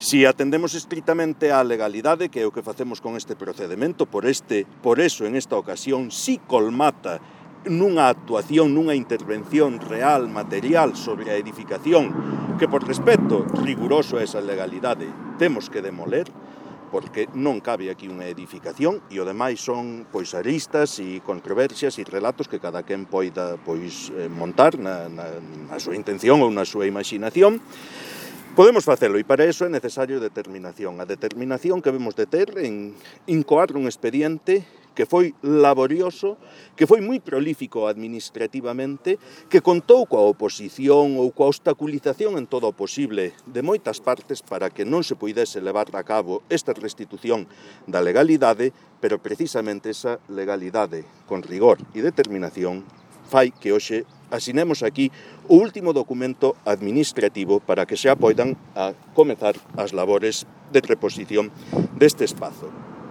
Si atendemos estritamente á legalidade, que é o que facemos con este procedimento, por eso, en esta ocasión, si colmata nunha actuación, nunha intervención real, material sobre a edificación, que por respeto riguroso a esa legalidade temos que demoler, porque non cabe aquí unha edificación e o demais son aristas e controversias e relatos que cada quen poida montar na súa intención ou na súa imaginación. Podemos facelo e para iso é necesario determinación. A determinación que debemos de ter en incoar un expediente que foi laborioso, que foi moi prolífico administrativamente, que contou coa oposición ou coa obstaculización en todo o posible de moitas partes para que non se puidese levar a cabo esta restitución da legalidade, pero precisamente esa legalidade con rigor e determinación fai que hoxe asinemos aquí o último documento administrativo para que xa poidan a comezar as labores de reposición deste espazo.